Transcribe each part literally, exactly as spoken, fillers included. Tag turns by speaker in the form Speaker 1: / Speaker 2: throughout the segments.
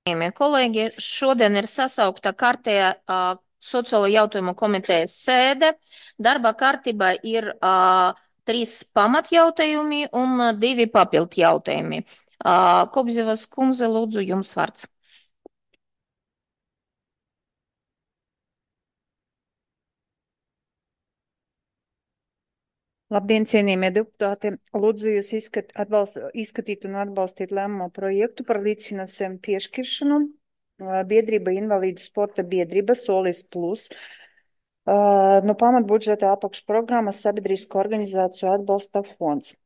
Speaker 1: Cienījamie kolēģi, šodien ir sasaukta kārtējā uh, sociālo jautājumu komitejas sēde. Darba kārtībā ir uh, trīs pamatjautājumi un uh, divi papildu jautājumi. Uh, Kobzevas kundze, lūdzu, jums vārds.
Speaker 2: Labdien, cienījamie deputāti! Lūdzu jūs izskat, atbalst, izskatīt un atbalstīt lēmumu projektu par līdzfinansējumu piešķiršanu biedrība Invalīdu sporta biedrība Solis Plus no pamatbudžeta apakšprogrammas Sabiedrisko organizāciju atbalsta fonds.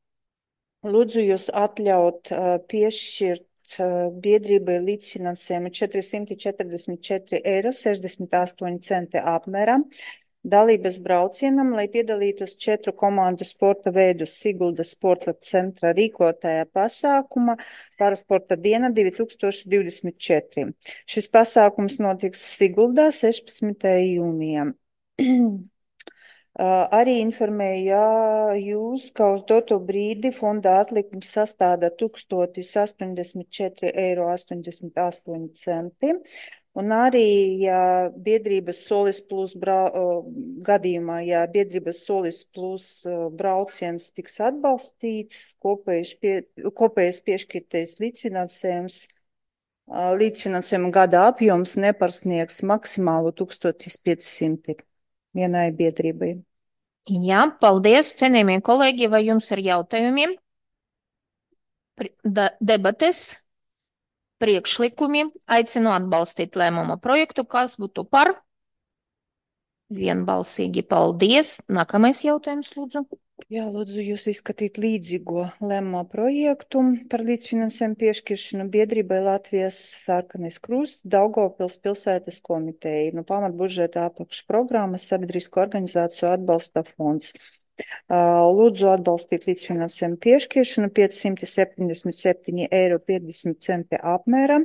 Speaker 2: Lūdzu jūs atļaut piešķirt biedrībai līdzfinansējumu četri simti četrdesmit četri eiro sešdesmit astoņi centi apmērā dalības braucienam, lai piedalītos četru komandu sporta veidu Siguldas sporta centra rīkotajā pasākuma Parasporta diena divi tūkstoši divdesmit četri. Šis pasākums notiks Siguldā sešpadsmitajā jūnijā. Arī informēju, ja jūs, ka uz doto brīdi fonda atlikums sastāda tūkstotis astoņdesmit četri eiro astoņdesmit astoņi centi. Un arī, ja biedrības Solis Plus brau, gadījumā, ja biedrības Solis Plus brauciens tiks atbalstīts, kopējais, pie, kopējais piešķirtais līdzfinansējums, līdzfinansējuma gada apjoms neparsniegs maksimālu tūkstotis piecsimt vienai biedrībai.
Speaker 1: Jā, paldies, cienījamie kolēģi, vai jums ir jautājumi? Da, debates? Priekšlikumi, aicinu atbalstīt lēmuma projektu, kas būtu par. Vienbalsīgi paldies. Nākamais jautājums, lūdzu.
Speaker 2: Jā, lūdzu jūs izskatīt līdzīgo lēmuma projektu par līdzfinansējumu piešķiršanu biedrībai Latvijas Sarkanais krusts Daugavpils pilsētas komiteja no pamatbudžeta apakšprogrammas Sabiedrisko organizāciju atbalsta fonds. Lūdzu atbalstīt līdzfinansējumu piešķiršanu pieci simti septiņdesmit septiņi eiro piecdesmit centi apmērā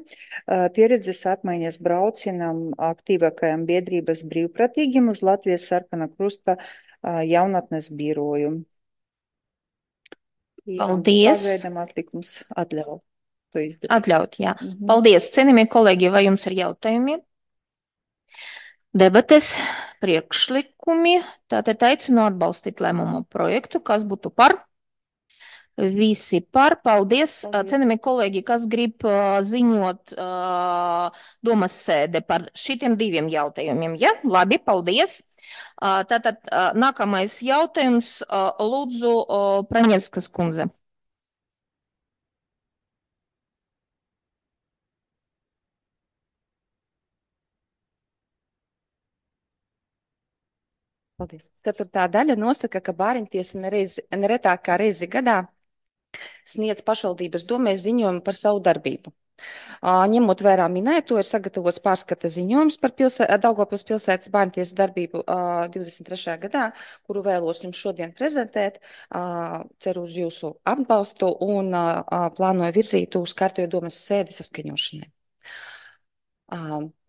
Speaker 2: pieredzes apmaiņas braucienam aktīvākajam biedrības brīvprātīgiem uz Latvijas Sarkanā krusta jaunatnes biroju.
Speaker 1: Paldies.
Speaker 2: Pagaidām atlikums atļauj to izdarīt.
Speaker 1: Atļaut, jā.
Speaker 2: Mhm.
Speaker 1: Paldies, cienījamie kolēģi, vai jums ir jautājumi? Debates, priekšlikumi, tātad aicinu atbalstīt lēmumu projektu, kas būtu par. Visi par, paldies. paldies. Cienījamie kolēģi, kas grib uh, ziņot uh, domas sēde par šitiem diviem jautājumiem, ja? Labi, paldies. Uh, tātad uh, nākamais jautājums, uh, lūdzu, uh, Praņevskas kundze.
Speaker 3: Paldies. Ceturtā daļa nosaka, ka bāriņtiesa nereiz, neretāk kā reizi gadā sniedz pašvaldības domē ziņojumu par savu darbību. Ņemot vērā minēto, ir sagatavots pārskata ziņojums par pilsē, Daugavpils pilsētas bāriņtiesas darbību divdesmit trešajā gadā, kuru vēlos jums šodien prezentēt. Ceru uz jūsu atbalstu un plānoju virzīt uz kārtējo domas sēdi saskaņošanai.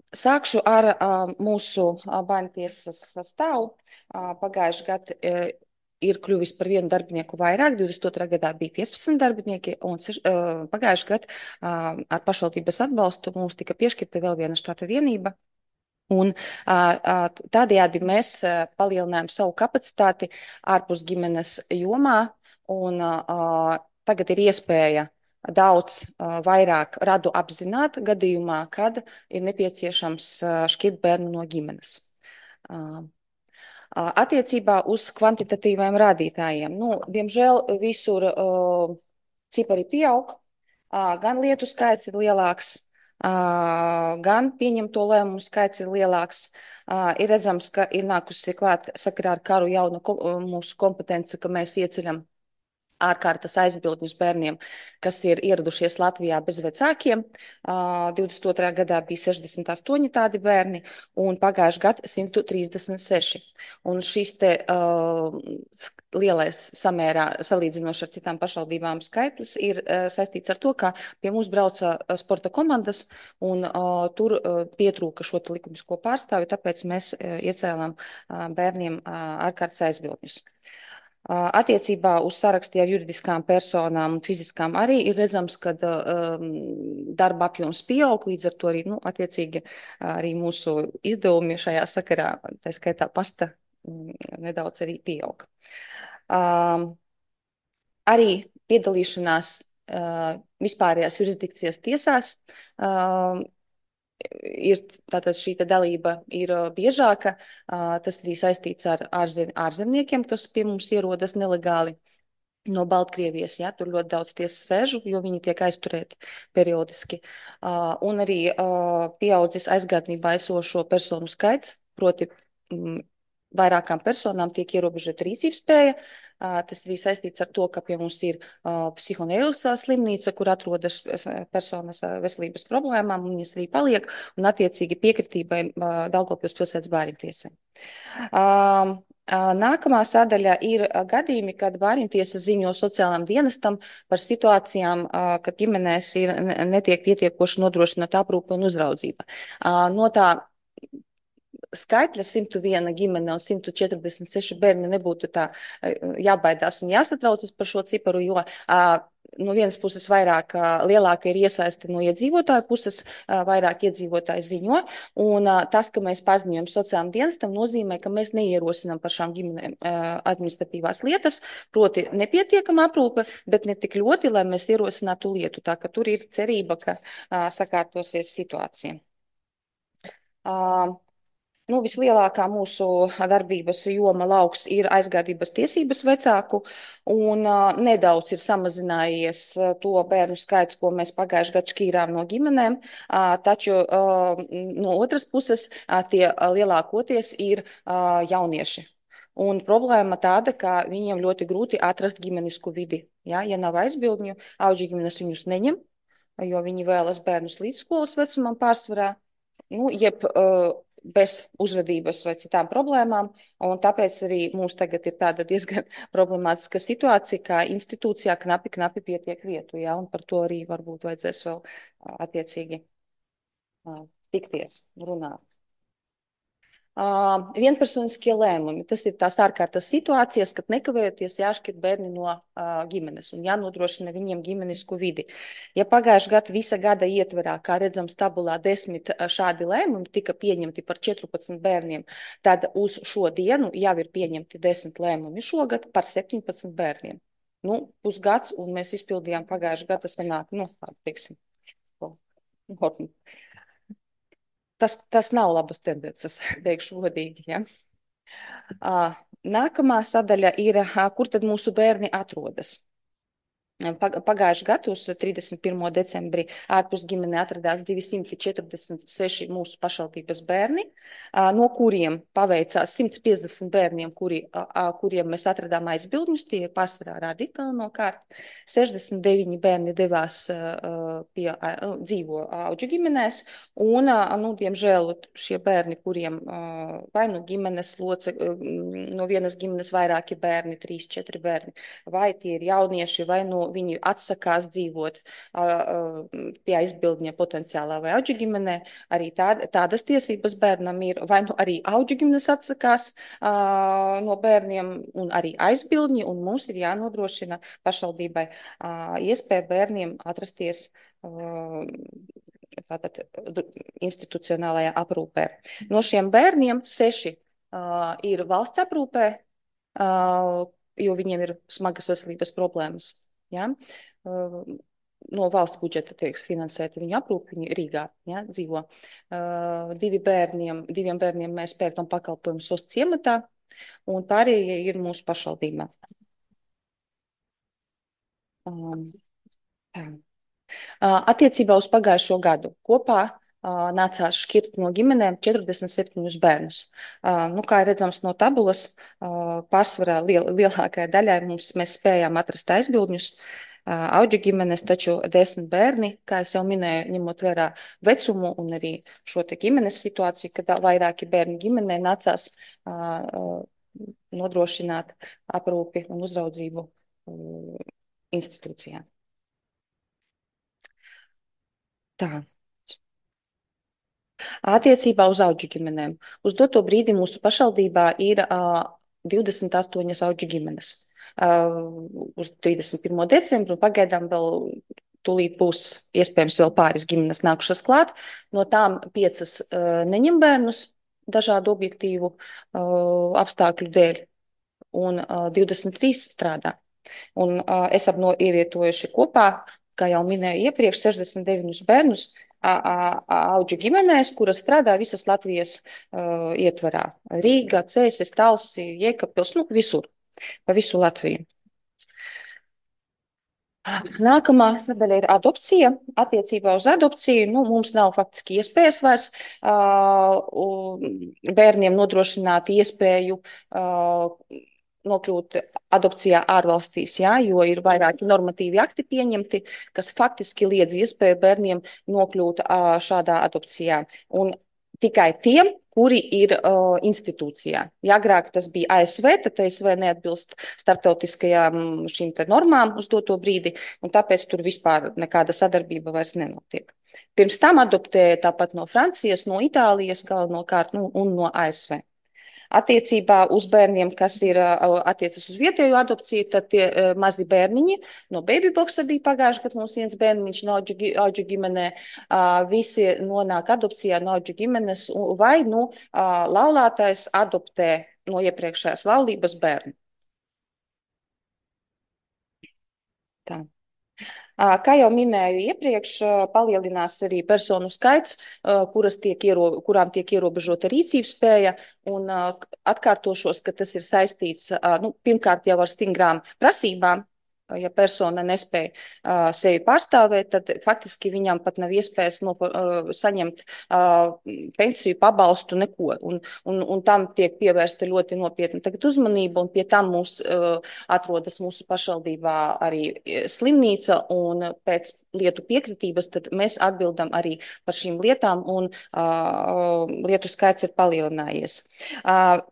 Speaker 3: Sākšu ar mūsu bāriņtiesas sastāvu. Pagājuši gadu ir kļuvis par vienu darbinieku vairāk, divdesmit otrā gadā bija piecpadsmit darbinieki, un pagājuši gadu ar pašvaldības atbalstu mums tika piešķirta vēl viena štata vienība. Un tādējādi mēs palielinājām savu kapacitāti ārpus ģimenes jomā, un tagad ir iespēja daudz uh, vairāk radu apzināt gadījumā, kad ir nepieciešams uh, šķirt bērnu no ģimenes. Uh, uh, attiecībā uz kvantitatīviem rādītājiem. Nu, diemžēl visur uh, cipari pieaug, uh, gan lietu skaits ir lielāks, uh, gan pieņemto lēmumu skaits ir lielāks. Uh, ir redzams, ka ir nākusi klāt sakarā ar karu jauna ko, uh, mūsu kompetence, ka mēs ieceļam ārkārtas aizbildņus bērniem, kas ir ieradušies Latvijā bez vecākiem. divdesmit otrā gadā bija sešdesmit astoņi tādi bērni un pagājuši gadu simt trīsdesmit seši. Un šis te uh, lielais samērā salīdzinoši ar citām pašvaldībām skaitlis ir uh, saistīts ar to, ka pie mums brauca sporta komandas un uh, tur uh, pietrūka šo likumisko pārstāvi, tāpēc mēs uh, iecēlām uh, bērniem uh, ārkārtas aizbildņus. Attiecībā uz sarakstu ar juridiskām personām un fiziskām arī ir redzams, ka um, darba apjoms pieaug, līdz ar to arī, nu, attiecīgi, arī mūsu izdevumi šajā sakarā, tā skaitā pasta, nedaudz arī pieaug. Um, arī piedalīšanās uh, vispārējās jurisdikcijas tiesās uh, ir tātad šī dalība ir biežāka. Tas arī saistīts ar ārzem, ārzemniekiem, kas pie mums ierodas nelegāli no Baltkrievijas. Ja, tur ļoti daudz tiesas sēžu, jo viņi tiek aizturēti periodiski. Un arī pieaudzis aizgādnībā esošo personu skaits, proti vairākām personām tiek ierobežota rīcības spēja. Tas arī saistīts ar to, ka pie mums ir psihoneiriskā slimnīca, kur atrodas personas veselības problēmām, un viņas arī paliek, un attiecīgi piekritībai Daugavpils pilsētas bērntiesai. Nākamā sadaļa ir gadījumi, kad bērntiesa ziņo sociālām dienestam par situācijām, kad ģimenēs ir, netiek pietiekoši nodrošināta aprūpe un uzraudzība. No tā skaitļa simt viena ģimene un simt četrdesmit seši bērni nebūtu tā jābaidās un jāsatraucas par šo ciparu, jo no vienas puses vairāk lielāka ir iesaisti no iedzīvotāju puses, vairāk iedzīvotāji ziņo, un tas, ka mēs paziņojam sociālām dienestam, nozīmē, ka mēs neierosinām par šām ģimenēm administratīvās lietas, proti nepietiekama aprūpe, bet ne tik ļoti, lai mēs ierosinātu lietu, tā ka tur ir cerība, ka sakārtosies situācija. Nu, vislielākā mūsu darbības joma lauks ir aizgādības tiesības vecāku, un uh, nedaudz ir samazinājies uh, to bērnu skaits, ko mēs pagājuši gadu šķīrām no ģimenēm, uh, taču uh, no otras puses uh, tie uh, lielākoties ir uh, jaunieši. Un problēma tāda, ka viņiem ļoti grūti atrast ģimenisku vidi. Ja, ja nav aizbildņu, auģu ģimenes viņus neņem, jo viņi vēlas bērnus līdz skolas vecumam pārsvarā, nu, jeb uh, bez uzvedības vai citām problēmām, un tāpēc arī mums tagad ir tāda diezgan problemātiska situācija, kā institūcijā knapi, knapi pietiek vietu, ja, un par to arī varbūt vajadzēs vēl attiecīgi tikties, runāt. Uh, vienpersoniskie lēmumi. Tas ir tās ārkārtas situācijas, kad nekavējoties jāšķirt bērni no uh, ģimenes un jānodrošina viņiem ģimenisku vidi. Ja pagājušajā gada visa gada ietverā, kā redzams tabulā, desmit šādi lēmumi tika pieņemti par četrpadsmit bērniem, tad uz šo dienu jau ir pieņemti desmit lēmumi šogad par septiņpadsmit bērniem. Nu, pusgads, un mēs izpildījām pagājušajā gada sanāk, nu, teiksim, Tas, tas nav labas tendences, teikšu godīgi. Ja? Nākamā sadaļa ir, kur tad mūsu bērni atrodas. Pagājušajā gadā, uz trīsdesmit pirmo decembrī, ārpus ģimenē atradās divsimt četrdesmit seši mūsu pašvaldības bērni, no kuriem paveicās simt piecdesmit bērniem, kuri, kuriem mēs atradām aizbildņus, tie ir pārsvarā radikāli nokārt. sešdesmit deviņi bērni devās pie dzīvo auģu ģimenēs, un, nu, diemžēl, šie bērni, kuriem vai nu ģimenes loce, no vienas ģimenes vairāki bērni, trīs, četri bērni, vai tie ir jaunieši, vai no viņi atsakās dzīvot uh, pie aizbildņa potenciālā vai auģu ģimenē, arī tād, tādas tiesības bērnam ir, vai nu arī auģu ģimenes atsakās uh, no bērniem un arī aizbildņi, un mums ir jānodrošina pašvaldībai uh, iespēja bērniem atrasties uh, tātad institucionālajā aprūpē. No šiem bērniem seši uh, ir valsts aprūpē, uh, jo viņiem ir smagas veselības problēmas. Ja? No valsts budžeta tiek finansēta viņu aprūpe, viņi Rīgā, ja, dzīvo. Uh, divi bērniem, diviem bērniem mēs pērkam pakalpojumu S O S ciematā, un pārējie ir mūsu pašvaldībā. Um, tā. Uh, attiecībā uz pagājušo gadu kopā Uh, nācās šķirt no ģimenēm četrdesmit septiņus bērnus. Uh, nu, kā redzams no tabulas, uh, pārsvarā liel, lielākajai daļai mums mēs spējām atrast aizbildņus, uh, auģu ģimenes, taču desmit bērni, kā es jau minēju, ņemot vērā vecumu un arī šo te ģimenes situāciju, kad vairāki bērni ģimenē nācās uh, uh, nodrošināt aprūpi un uzraudzību uh, institūcijā. Tā. Attiecībā uz auģu ģimenēm. Uz doto brīdi mūsu pašvaldībā ir uh, divdesmit astoņas auģu ģimenes. uz trīsdesmit pirmo decembru, un pagaidām vēl tūlīt būs iespējams vēl pāris ģimenes nākušas klāt. No tām piecas neņem bērnus dažādu objektīvu apstākļu dēļ, un divdesmit trīs strādā. Un esam no ievietojuši kopā, kā jau minēju iepriekš, sešdesmit deviņus bērnus auģu ģimenēs, kuras strādā visas Latvijas uh, ietvarā. Rīga, Cēsis, Talsi, Jēkabpils, nu visur, pa visu Latviju. Nākamā sadaļa ir adopcija. Attiecībā uz adopciju nu, mums nav faktiski iespējas vairs uh, bērniem nodrošināt iespēju uh, nokļūt adopcijā ārvalstīs, jā, jo ir vairāki normatīvi akti pieņemti, kas faktiski liedz iespēju bērniem nokļūt uh, šādā adopcijā. Un tikai tiem, kuri ir uh, institūcijā. Ja agrāk tas bija A S V, tad A S V neatbilst starptautiskajām šīm te normām uz doto brīdi, un tāpēc tur vispār nekāda sadarbība vairs nenotiek. Pirms tam adoptēja tāpat no Francijas, no Itālijas galvenokārt nu, un no A S V. Attiecībā uz bērniem, kas ir attiecas uz vietējo adopciju, tad tie uh, mazi bērniņi no babyboxa bija pagājuši, kad mums viens bērniņš no auģu ģimenē, uh, visi nonāk adopcijā no auģu ģimenes, vai nu uh, laulātais adoptē no iepriekšējās laulības bērnu. Tā. Kā jau minēju iepriekš, palielinās arī personu skaits, kuras tiek iero, kurām tiek ierobežota rīcības spēja, un atkārtošos, ka tas ir saistīts, nu, pirmkārt jau ar stingrām prasībām. Ja persona nespēja uh, sevi pārstāvēt, tad faktiski viņam pat nav iespējas no, uh, saņemt uh, pensiju, pabalstu, neko. Un, un, un tam tiek pievērsta ļoti nopietna tagad uzmanība, un pie tam mūs uh, atrodas mūsu pašvaldībā arī slimnīca, un pēc lietu piekritības tad mēs atbildam arī par šīm lietām, un uh, lietu skaits ir palielinājies. Uh,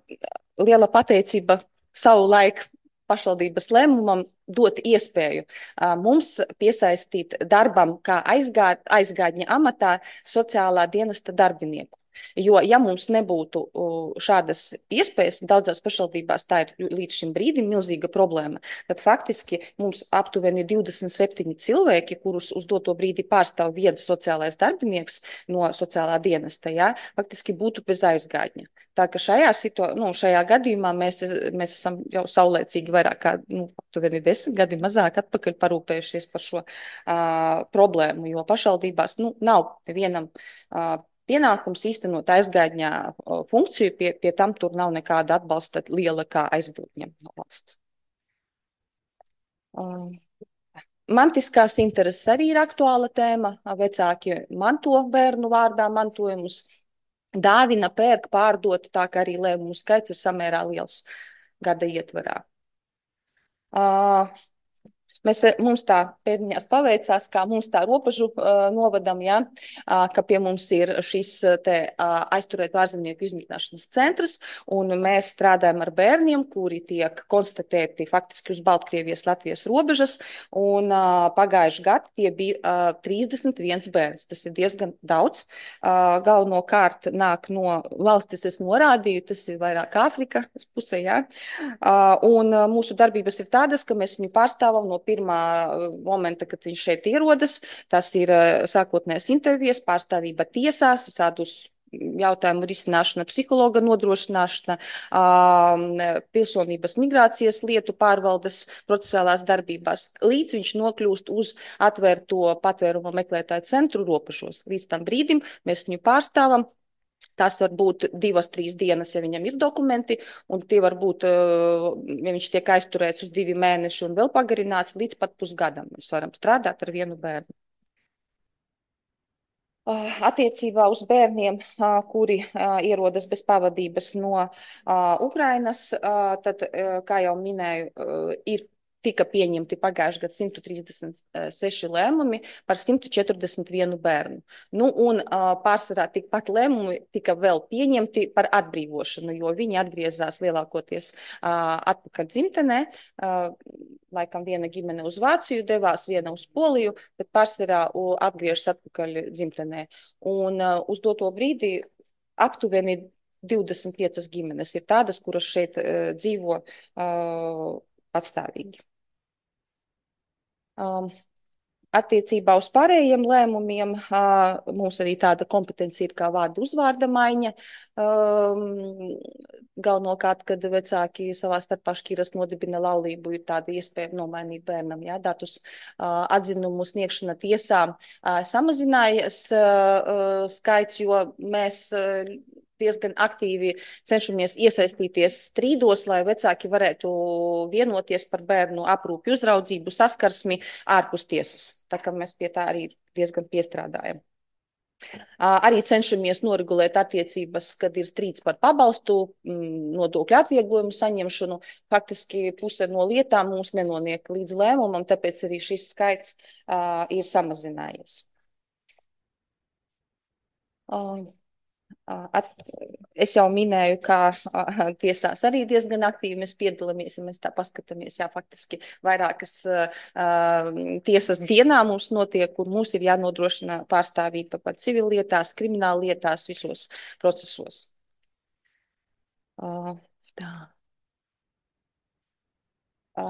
Speaker 3: liela pateicība savu laiku pašvaldības lēmumam dot iespēju uh, mums piesaistīt darbam kā aizgād, aizgādņa amatā sociālā dienesta darbinieku. Jo, ja mums nebūtu uh, šādas iespējas, daudzās pašvaldībās tā ir līdz šim brīdim milzīga problēma, tad faktiski mums aptuveni divdesmit septiņi cilvēki, kurus uz doto brīdi pārstāv viens sociālais darbinieks no sociālā dienesta, jā, faktiski būtu bez aizgādņa. Tā ka šajā, situ... nu, šajā gadījumā mēs, mēs esam jau saulēcīgi vairāk kā nu, aptuveni desmit gadi mazāk atpakaļ parūpējušies par šo uh, problēmu, jo pašvaldībās nu, nav vienam uh, pienākums īstenot aizgādņā uh, funkciju, pie, pie tam tur nav nekāda atbalsta liela kā aizbildņa no valsts. Uh, mantiskās intereses arī ir aktuāla tēma. Vecāki manto bērnu vārdā mantojumus. Dāvina, pērk, pārdot, tā kā arī lēmumu skaits ir samērā liels gada ietvarā. Uh, mēs, mums tā pēdiņās paveicās, kā mums tā robežu uh, novadam, ja, uh, ka pie mums ir šis te uh, aizturēt ārzemnieku izmitināšanas centrs, un mēs strādājam ar bērniem, kuri tiek konstatēti faktiski uz Baltkrievijas Latvijas robežas, un uh, pagājuši gadu tie bija uh, trīsdesmit viens bērns. Tas ir diezgan daudz. Uh, galvenokārt nāk no valstis, es norādīju, tas ir vairāk Āfrika pusē, ja. Uh, un uh, mūsu darbības ir tādas, ka mēs viņu pārstāvam no pirmā momenta, kad viņš šeit ierodas. Tas ir sākotnēs intervijas, pārstāvība tiesās, visādus jautājumu risināšana, psihologa nodrošināšana, pilsonības migrācijas lietu pārvaldes procesuālās darbībās, līdz viņš nokļūst uz atvērto patvērumu meklētāju centru robežos. Līdz tam brīdim mēs viņu pārstāvam. Tas var būt divas, trīs dienas, ja viņam ir dokumenti, un tie var būt, ja viņš tiek aizturēts uz divi mēneši un vēl pagarināts līdz pat pusgadam. Mēs varam strādāt ar vienu bērnu. Attiecībā uz bērniem, kuri ierodas bez pavadības no Ukrainas, tad, kā jau minēju, ir tika pieņemti pagājušajā gadā simt trīsdesmit seši lēmumi par simt četrdesmit vienu bērnu. Nu, un uh, pārsvarā tikpat lēmumi tika vēl pieņemti par atbrīvošanu, jo viņi atgriezās lielākoties uh, atpakaļ dzimtenē. Uh, laikam viena ģimene uz Vāciju devās, viena uz Poliju, bet pārsvarā uh, atgriežas atpakaļ dzimtenē. Un uh, uz doto brīdi aptuveni divdesmit piecas ģimenes ir tādas, kuras šeit uh, dzīvo uh, patstāvīgi. Um, Attiecībā uz pārējiem lēmumiem uh, mums arī tāda kompetence ir kā vārdu uzvārda maiņa. Um, galvenokārt, kad vecāki savā starpā šķiras nodibina laulību, ir tāda iespēja nomainīt bērnam, jā, datus uh, atzinumu sniegšana tiesām uh, samazinājas uh, skaits, jo mēs uh, diezgan aktīvi cenšamies iesaistīties strīdos, lai vecāki varētu vienoties par bērnu aprūpi, uzraudzību, saskarsmi ārpus tiesas. Tā kā mēs pie tā arī diezgan piestrādājam. Arī cenšamies noregulēt attiecības, kad ir strīds par pabalstu, nodokļu atvieglojumu saņemšanu. Faktiski puse no lietām mums nenoniek līdz lēmumam, tāpēc arī šis skaits uh, ir samazinājies. Uh, At, es jau minēju, ka a, tiesās arī diezgan aktīvi mēs piedalāmies, ja mēs tā paskatāmies, jā, faktiski vairākas a, tiesas dienā mums notiek, kur mums ir jānodrošina pārstāvība par civillietās, krimināllietās, visos procesos. A, tā. A,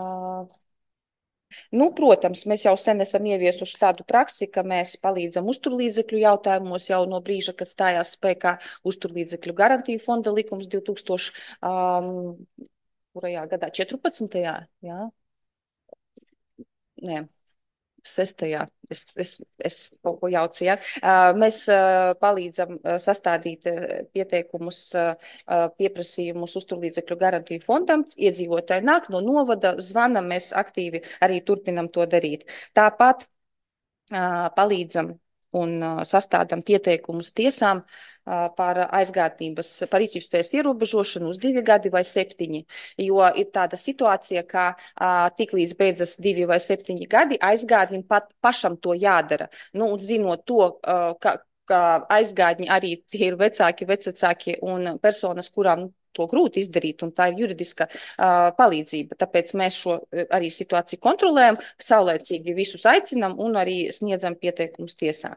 Speaker 3: Nu, protams, mēs jau sen esam ieviesuši tādu praksi, ka mēs palīdzam uzturlīdzekļu jautājumos jau no brīža, kad stājās spēkā uzturlīdzekļu garantiju fonda likums divtūkstoš gadā četrpadsmitajā Jā? Nē. Sestajā, es, es, es kaut ko jaucu, ja. Mēs palīdzam sastādīt pieteikumus, pieprasījumus uzturlīdzekļu garantiju fondam, iedzīvotāji nāk no novada, zvana, mēs aktīvi arī turpinam to darīt. Tāpat palīdzam un sastādam pieteikumus tiesām par aizgādnības, par rīcībspējas ierobežošanu uz divi gadi vai septiņi, jo ir tāda situācija, ka tik līdz beidzas divi vai septiņi gadi, aizgādnim pat pašam to jādara. Nu, un zinot to, ka, ka aizgādņi arī tie ir vecāki, vecvecāki un personas, kurām to grūti izdarīt, un tā ir juridiska uh, palīdzība. Tāpēc mēs šo arī situāciju kontrolējam, saulēcīgi visus aicinam un arī sniedzam pieteikumus tiesā.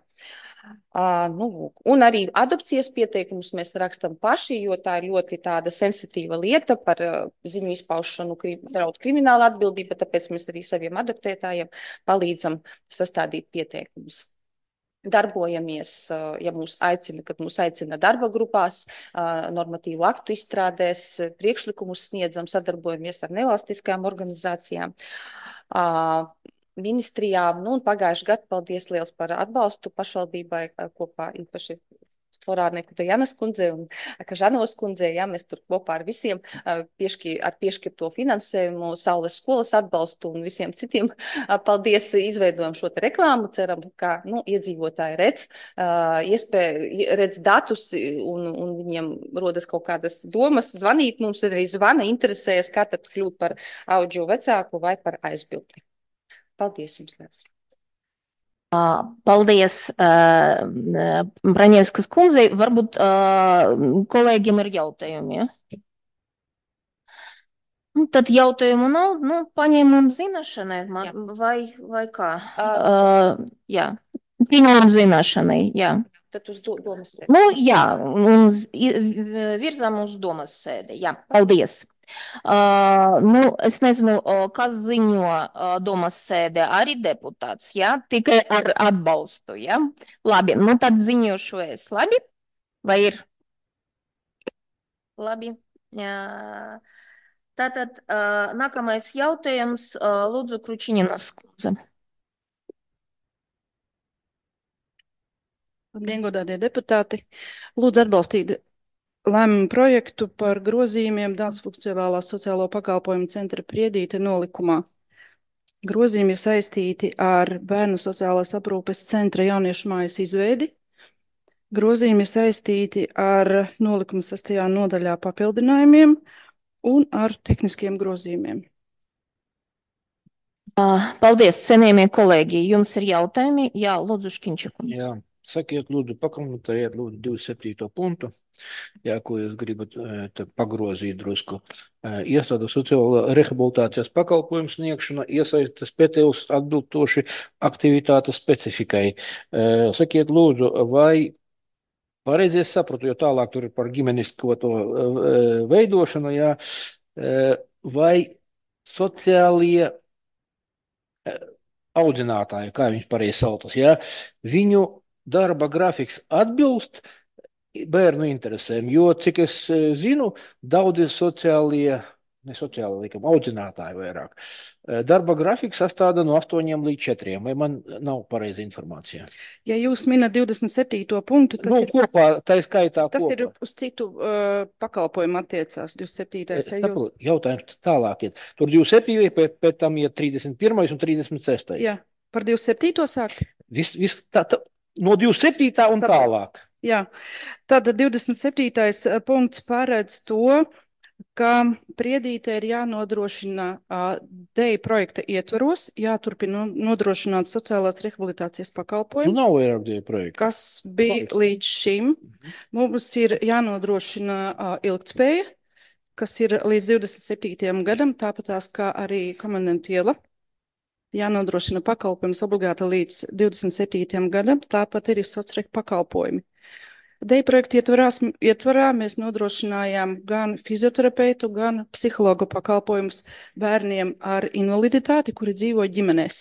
Speaker 3: Uh, nu, un arī adopcijas pieteikumus mēs rakstam paši, jo tā ir ļoti tāda sensitīva lieta par uh, ziņu izpaušanu, krim, draud krimināla atbildība, tāpēc mēs arī saviem adoptētājiem palīdzam sastādīt pieteikumus. Darbojamies, ja mūs aicina, kad mūs aicina darba grupās, normatīvu aktu izstrādēs, priekšlikumus sniedzam, sadarbojamies ar nevalstiskajām organizācijām, ministrijām. Nu, un pagājuši gadu, paldies liels par atbalstu pašvaldībai kopā īpaši Florāneku Dajanas kundzei un Kažanovas kundzei, jā, mēs tur kopā ar visiem piešķi, ar piešķirto finansējumu, Saules skolas atbalstu un visiem citiem. Paldies, izveidojam šo te reklāmu, ceram, ka, nu, iedzīvotāji redz, iespēja, redz datus un, un viņiem rodas kaut kādas domas, zvanīt mums, arī zvana, interesējas, kā tad kļūt par auģu vecāku vai par aizbildni. Paldies jums, liels!
Speaker 1: Paldies uh, Braņevskas kundzei. Varbūt uh, kolēģiem ir jautājumi. Ja? Tad jautājumu nav, nu, paņēmām zināšanai, man, vai, vai kā? Uh, jā, pieņemam zināšanai, jā.
Speaker 3: Tad uz do, domas sēdi.
Speaker 1: Nu, jā, uz, virzām uz domas sēdi, jā, paldies. Uh, nu, es nezinu, kas ziņo uh, domas sēdē, arī deputāts, ja? Tikai ar atbalstu, ja? Labi, nu tad ziņošu es, labi? Vai ir? Labi. Uh, tātad uh, nākamais jautājums, uh, lūdzu, Kručiņinas kundze.
Speaker 4: Labdien, godātie deputāti. Lūdzu atbalstīt lēmumu projektu par grozījumiem Dānsfunkcionālās sociālo pakalpojumu centra Priedīte nolikumā. Grozījumi ir saistīti ar Bērnu sociālās aprūpes centra jauniešu mājas izveidi. Grozījumi ir saistīti ar nolikuma sastajā nodaļā papildinājumiem un ar tehniskiem grozījumiem.
Speaker 1: Paldies, cienījamie kolēģi. Jums ir jautājumi? Jā, lūdzu, Škiņčakundze.
Speaker 5: Jā, sakiet, lūdzu, pakomentējiet, lūdzu, divdesmit septīto punktu. Jā, ko jūs gribat pagrozīt drusku. Iestāda sociālo rehabilitācijas pakalpojumu sniegšana iesaistas pētījus atbilstoši aktivitātes specifikai. Sakiet, lūdzu, vai pareizi es sapratu, jo tālāk tur ir par ģimenisko to veidošanu, jā, vai sociālie audzinātāji, kā viņš pareizi saucas, ja, viņu darba grafiks atbilst bērnu interesēm, jo, cik es eh, zinu, daudzi sociālie, ne sociālie, likam, audzinātāji vairāk, eh, darba grafiks sastāda no astoņiem līdz četriem, vai man nav pareiza informācija?
Speaker 4: Ja jūs minat divdesmit septīto punktu, tas
Speaker 5: Nu,
Speaker 4: ir,
Speaker 5: kopā, tā ir skaitā
Speaker 4: tas
Speaker 5: kopā.
Speaker 4: ir uz citu uh, pakalpojumu attiecās, divdesmit septītais.
Speaker 5: Es
Speaker 4: Ja jūs...
Speaker 5: saprotu, jautājums tālāk iet. Tur divdesmit septītais, pēc, pēc tam iet trīsdesmit pirmais un trīsdesmit sestais.
Speaker 4: Jā, par divdesmit septīto sākt?
Speaker 5: Vis, vis, tā, tā, no divdesmit septītā un
Speaker 4: Saprotu.
Speaker 5: tālāk.
Speaker 4: Jā, tātad divdesmit septītais punkts paredz to, ka Priedītē ir jānodrošina uh, D E I projekta ietvaros, jāturpina nodrošināt sociālās rehabilitācijas
Speaker 5: Nu,
Speaker 4: pakalpojumu,
Speaker 5: nav vairāk tie projekti.
Speaker 4: kas bija līdz šim. Mums ir jānodrošina uh, ilgtspēja, kas ir līdz divdesmit septītajam gadam, tāpatās kā arī komendantu iela. Jānodrošina pakalpojums obligāti līdz divdesmit septītajam gadam, tāpat arī sociālai pakalpojumi. D E I projekta ietvarās, ietvarā mēs nodrošinājām gan fizioterapeitu, gan psihologu pakalpojumus bērniem ar invaliditāti, kuri dzīvo ģimenēs.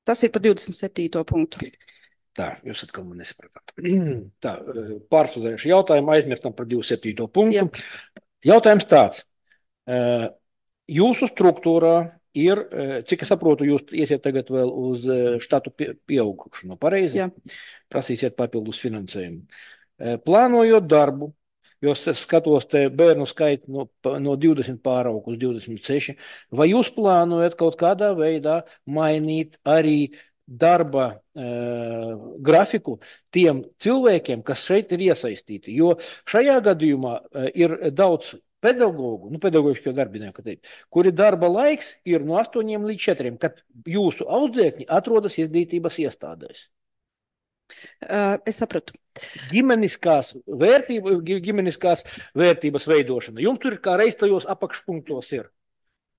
Speaker 4: Tas ir par divdesmit septīto punktu.
Speaker 5: Tā, jūs atkal man nesapratāt. Tā, pārsvazējuši jautājumu, aizmirstam par divdesmit septīto punktu. Jā. Jautājums tāds. Jūsu struktūrā ir, cik es saprotu, jūs iesiet tagad vēl uz štatu pieaugušanu, pareizi?
Speaker 4: Jā.
Speaker 5: Prasīsiet papildus finansējumu. Plānojot darbu, jo es skatos te bērnu skaitu no, no divdesmit pāraug uz divdesmit seši, vai jūs plānojat kaut kādā veidā mainīt arī darba uh, grafiku tiem cilvēkiem, kas šeit ir iesaistīti? Jo šajā gadījumā uh, ir daudz pedagogu, nu, pedagoģiskie darbinieku, teikt, kuri darba laiks ir no astoņiem līdz četriem, kad jūsu audzēkņi atrodas izglītības iestādēs.
Speaker 4: Uh, es sapratu.
Speaker 5: Ģimeniskās, vērtība, ģimeniskās vērtības veidošana. Jums tur kā reiz tajos apakšpunktos ir.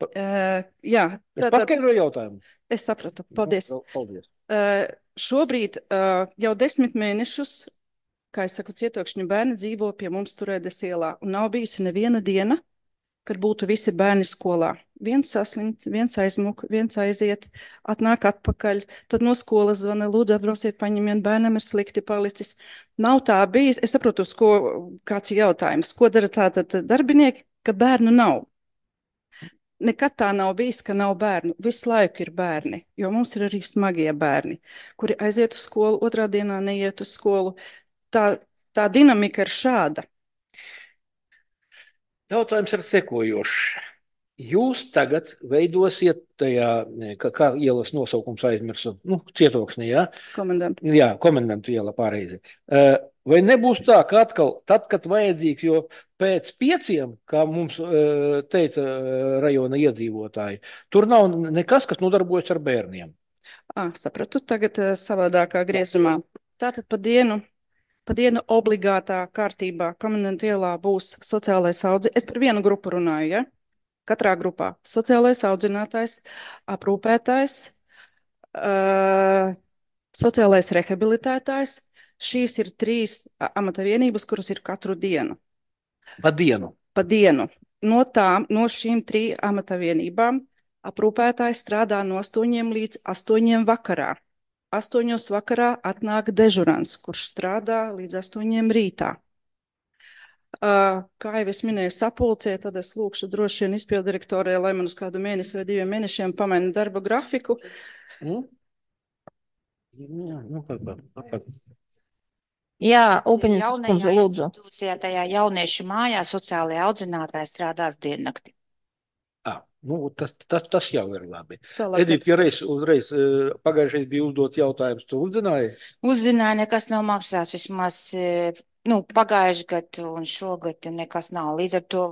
Speaker 5: Pa,
Speaker 4: uh, jā.
Speaker 5: Es paskaidroju jautājumu.
Speaker 4: Es sapratu. Paldies.
Speaker 5: Paldies.
Speaker 4: Uh, šobrīd uh, jau desmit mēnešus, kā es saku, cietokšņu bērni dzīvo pie mums Turēdes ielā, un nav bijusi neviena diena, kad būtu visi bērni skolā. Viens saslimt, viens aizmuk, viens aiziet, atnāk atpakaļ, tad no skolas zvana, lūdzu atbrauciet, paņemiet, bērnam ir slikti palicis. Nav tā bijis, es saprotu, uz ko, kāds ir jautājums, ko dara tātad darbinieki, ka bērnu nav. Nekad tā nav bijis, ka nav bērnu. Visu laiku ir bērni, jo mums ir arī smagie bērni, kuri aiziet uz skolu, otrā dienā neiet uz skolu. Tā, tā dinamika ir šāda.
Speaker 5: Jautājums ir sekojošs. Jūs tagad veidosiet tajā, kā, kā ielas nosaukums aizmirsu, nu, cietoksnī, jā?
Speaker 4: Komendantu.
Speaker 5: Jā, komendantu iela pareizi. Vai nebūs tā, ka atkal, tad, kad vajadzīgs, jo pēc pieciem, kā mums teica rajona iedzīvotāji, tur nav nekas, kas nodarbojas ar bērniem.
Speaker 4: À, sapratu, tagad savādākā griezumā. Tātad pa dienu. Pa dienu obligātā kārtībā komendantu ielā būs sociālais audzinātājs. Es par vienu grupu runāju, ja? Katrā grupā. Sociālais audzinātājs, aprūpētājs, uh, sociālais rehabilitētājs. Šīs ir trīs amata vienības, kuras ir katru dienu.
Speaker 5: Pa dienu?
Speaker 4: Pa dienu. No tām, no šīm trīs amata vienībām aprūpētājs strādā no astoņiem līdz astoņiem vakarā. Astoņos vakarā atnāk dežurants, kurš strādā līdz astoņiem rītā. Uh, kā jau es minēju sapulcē, tad es lūkšu droši vien izpildirektorē, lai man uz kādu mēnesi vai diviem mēnešiem pamaina darba grafiku.
Speaker 5: Mm? Jā, nu, kā, kā, kā.
Speaker 1: Jā, Upeņas kundze, lūdzu.
Speaker 6: Tajā jauniešu mājā sociālajā audzinātāja strādās diennakti.
Speaker 5: Ah, nu, tas, tas, tas jau ir labi.
Speaker 4: Stālāk
Speaker 5: Edita, ja reiz, uzreiz pagājušais bija uzdot jautājums, tu uzzināji?
Speaker 6: Uzzināju, nekas nav maksāts, vismaz nu, pagājuši gadu un šogad nekas nav. Līdz ar to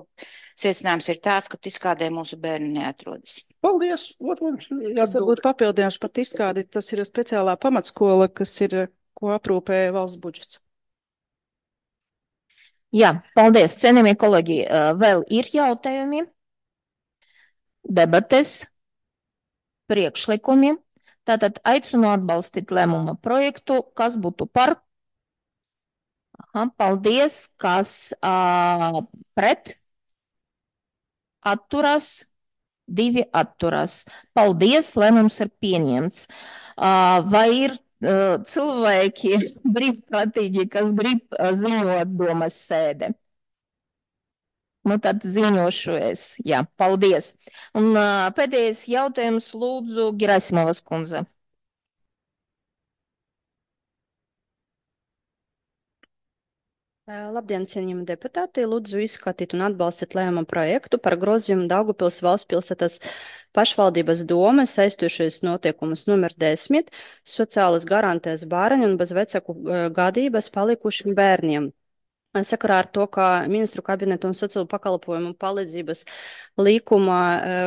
Speaker 6: secinājums ir tāds, ka tiskādē mūsu bērni neatrodas.
Speaker 5: Paldies! Ot, mums
Speaker 4: Tas varbūt papildināšu par tiskādi. Tas ir speciālā pamatskola, kas ir, ko aprūpē valsts budžets.
Speaker 1: Jā, paldies, cienījamie kolēģi. Vēl ir jautājumi? Debates, priekšlikumi. Tātad aicinu atbalstīt lēmuma projektu, kas būtu par. Aha, paldies, kas uh, pret. atturas, divi atturas. Paldies, lēmums ir pieņemts. Uh, vai ir uh, cilvēki brīvprātīgi, kas grib uh, ziņot domas sēde? Nu, tad ziņošu es. Jā, paldies. Un uh, pēdējais jautājums lūdzu Gerasimovas kundze.
Speaker 4: Labdien, cienījami deputāti! Lūdzu izskatīt un atbalstīt lēmumu projektu par grozījumu Daugavpils valsts pilsētas pašvaldības domes saistošais notiekumus numur desmit sociālas garantēs bērni un bez vecaku gadības palikušiem bērniem. Sakarā ar to, ka ministru kabineta un sociālo pakalpojumu palīdzības līkuma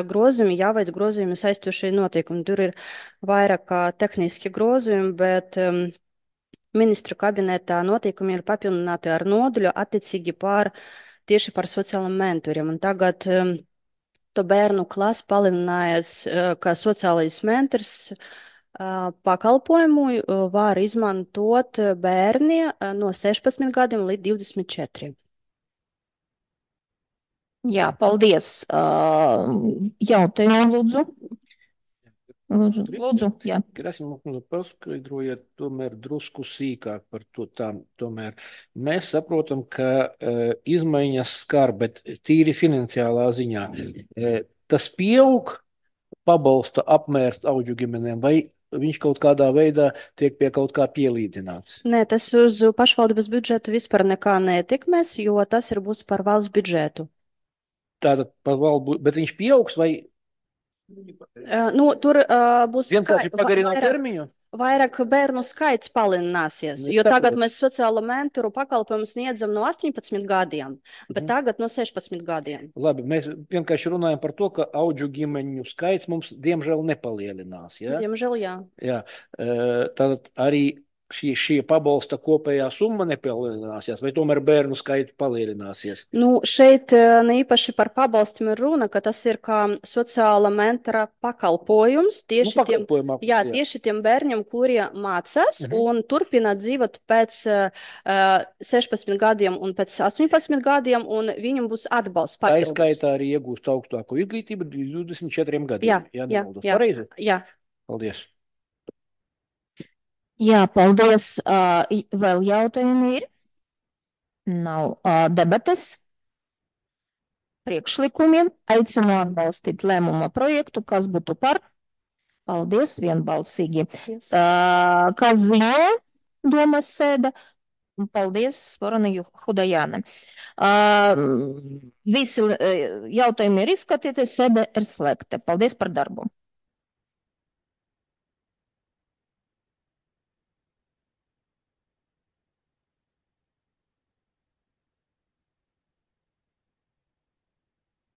Speaker 4: grozījumi jāveic grozījumi saistošai notiekumi. Tur ir vairāk kā tehniski grozījumi, bet um, ministru kabinetā notiekumi ir papildināti ar nodaļu attiecīgi par tieši par sociālajiem mentoriem. Un tagad um, to bērnu klasi palielinājās, uh, kā sociālais mentors uh, pakalpojumu uh, var izmantot bērni uh, no sešpadsmit gadiem līdz divdesmit četriem.
Speaker 1: Jā, paldies. Uh, jautājumu lūdzu. Lūdzu, lūdzu, jā.
Speaker 5: Gerasimovas kundze, paskaidrojiet tomēr drusku sīkāk par to tā, tomēr. Mēs saprotam, ka uh, izmaiņas skar, bet tīri finansiālā ziņā. Uh, tas pieaug pabalsta apmērs audžu ģimenēm, vai viņš kaut kādā veidā tiek pie kaut kā pielīdzināts?
Speaker 4: Nē, tas uz pašvaldības budžetu vispār nekā neietekmēs, jo tas ir būs par valsts budžetu.
Speaker 5: Tātad par valsts, bet viņš pieaugs vai?
Speaker 4: Uh, nu, tur uh, būs
Speaker 5: vienkārši pagarināt
Speaker 4: vairāk,
Speaker 5: termiņu?
Speaker 4: vairāk bērnu skaits palielināsies,
Speaker 5: Nu,
Speaker 4: jo
Speaker 5: saprotu.
Speaker 4: tagad mēs sociālo mentoru pakalpojumu sniedzam no astoņpadsmit gadiem, bet
Speaker 5: Mhm.
Speaker 4: tagad no sešpadsmit gadiem.
Speaker 5: Labi, mēs vienkārši runājam par to, ka audžu ģimeņu skaits mums diemžēl nepalielinās. Ja?
Speaker 4: Diemžēl, jā.
Speaker 5: Jā, e, tad arī šī, šī pabalsta kopējā summa nepalielināsies, vai tomēr bērnu skaitu palielināsies?
Speaker 4: Nu, šeit uh, ne īpaši par pabalstiem ir runa, ka tas ir kā sociāla mentora pakalpojums tieši
Speaker 5: Nu,
Speaker 4: tiem,
Speaker 5: pakalpojumā,
Speaker 4: jā,
Speaker 5: jā.
Speaker 4: tieši tiem bērniem, kuri mācās
Speaker 5: Mhm.
Speaker 4: un turpina dzīvot pēc uh, sešpadsmit gadiem un pēc astoņpadsmit gadiem, un viņam būs atbalsts
Speaker 5: Tā
Speaker 4: papildus.
Speaker 5: izskaitā arī iegūst augstāko izglītību divdesmit četriem gadiem.
Speaker 4: Jā,
Speaker 5: ja
Speaker 4: jā,
Speaker 5: nemaldos.
Speaker 4: jā.
Speaker 5: Pareizi?
Speaker 4: Jā.
Speaker 5: Paldies.
Speaker 1: Jā, paldies. Uh, i- vēl jautājumi ir? Nav uh, debates. Priekšlikumiem aicinu atbalstīt lēmuma projektu, kas būtu par. Paldies, vienbalsīgi.
Speaker 4: Yes.
Speaker 1: Uh, kas ziņo domas sēde? Paldies, Sporana Hudajāne. Uh, visi uh, jautājumi ir izskatīti, sēde ir slēgta. Paldies par darbu.